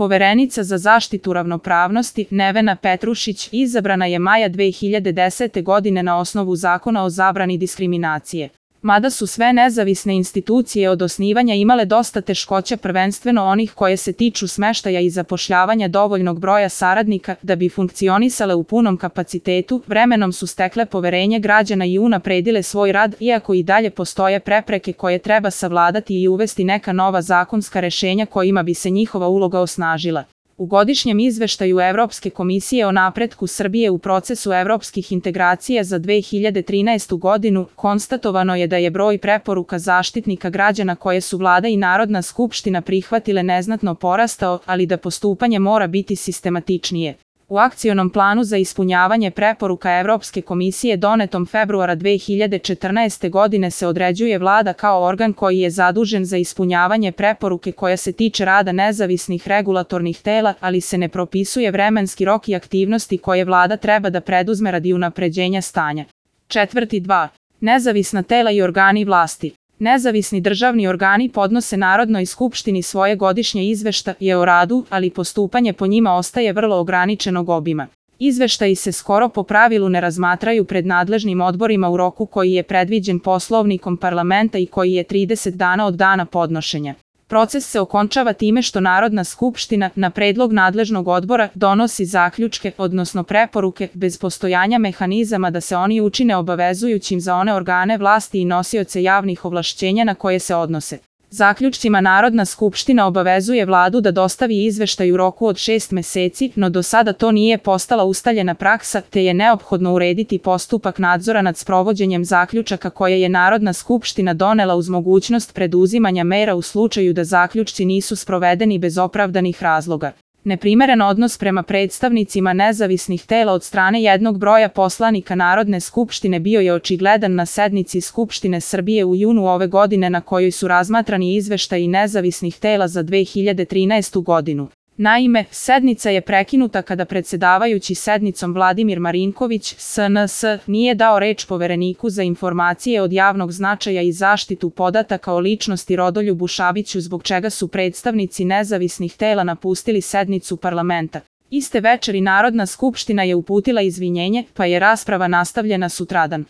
Poverenica za zaštitu ravnopravnosti Nevena Petrušić izabrana je maja 2010. godine na osnovu Zakona o zabrani diskriminacije. Mada su sve nezavisne institucije od osnivanja imale dosta teškoća, prvenstveno onih koje se tiču smeštaja i zapošljavanja dovoljnog broja saradnika da bi funkcionisale u punom kapacitetu, vremenom su stekle poverenje građana i unapredile svoj rad, iako i dalje postoje prepreke koje treba savladati i uvesti neka nova zakonska rešenja kojima bi se njihova uloga osnažila. U godišnjem izveštaju Evropske komisije o napretku Srbije u procesu evropskih integracija za 2013. godinu konstatovano je da je broj preporuka Zaštitnika građana koje su Vlada i Narodna skupština prihvatile neznatno porastao, ali da postupanje mora biti sistematičnije. U akcionom planu za ispunjavanje preporuka Evropske komisije donetom februara 2014. godine se određuje Vlada kao organ koji je zadužen za ispunjavanje preporuke koja se tiče rada nezavisnih regulatornih tela, ali se ne propisuje vremenski rok i aktivnosti koje Vlada treba da preduzme radi unapređenja stanja. 4.2. Nezavisna tela i organi vlasti. Nezavisni državni organi podnose Narodnoj skupštini svoje godišnje izveštaje o radu, ali postupanje po njima ostaje vrlo ograničenog obima. Izveštaji se skoro po pravilu ne razmatraju pred nadležnim odborima u roku koji je predviđen Poslovnikom parlamenta i koji je 30 dana od dana podnošenja. Proces se okončava time što Narodna skupština, na predlog nadležnog odbora, donosi zaključke, odnosno preporuke, bez postojanja mehanizama da se oni učine obavezujućim za one organe vlasti i nosioce javnih ovlašćenja na koje se odnose. Zaključcima Narodna skupština obavezuje Vladu da dostavi izveštaj u roku od 6 meseci, no do sada to nije postala ustaljena praksa, te je neophodno urediti postupak nadzora nad sprovođenjem zaključaka koje je Narodna skupština donela uz mogućnost preduzimanja mera u slučaju da zaključci nisu sprovedeni bez opravdanih razloga. Neprimeren odnos prema predstavnicima nezavisnih tela od strane jednog broja poslanika Narodne skupštine bio je očigledan na sednici Skupštine Srbije u junu ove godine na kojoj su razmatrani izveštaji nezavisnih tela za 2013. godinu. Naime, sednica je prekinuta kada predsedavajući sednicom Vladimir Marinković, SNS, nije dao reč Povereniku za informacije od javnog značaja i zaštitu podataka o ličnosti Rodoljubu Šabiću, zbog čega su predstavnici nezavisnih tela napustili sednicu parlamenta. Iste večeri Narodna skupština je uputila izvinjenje, pa je rasprava nastavljena sutradan.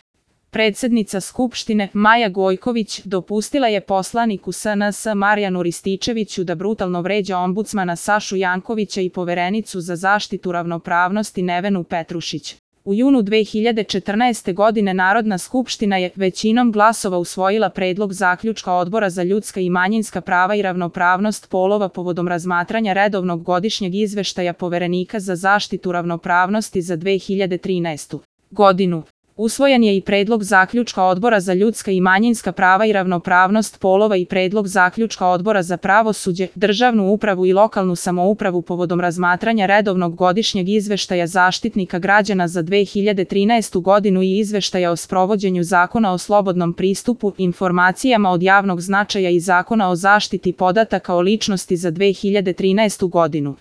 Predsednica Skupštine, Maja Gojković, dopustila je poslaniku SNS Marijanu Rističeviću da brutalno vređa ombudsmana Sašu Jankovića i Poverenicu za zaštitu ravnopravnosti Nevenu Petrušić. U junu 2014. godine Narodna skupština je većinom glasova usvojila predlog zaključka Odbora za ljudska i manjinska prava i ravnopravnost polova povodom razmatranja redovnog godišnjeg izveštaja Poverenika za zaštitu ravnopravnosti za 2013. godinu. Usvojen je i predlog zaključka Odbora za ljudska i manjinska prava i ravnopravnost polova i predlog zaključka Odbora za pravosuđe, državnu upravu i lokalnu samoupravu povodom razmatranja redovnog godišnjeg izveštaja Zaštitnika građana za 2013. godinu i izveštaja o sprovođenju Zakona o slobodnom pristupu informacijama od javnog značaja i Zakona o zaštiti podataka o ličnosti za 2013. godinu.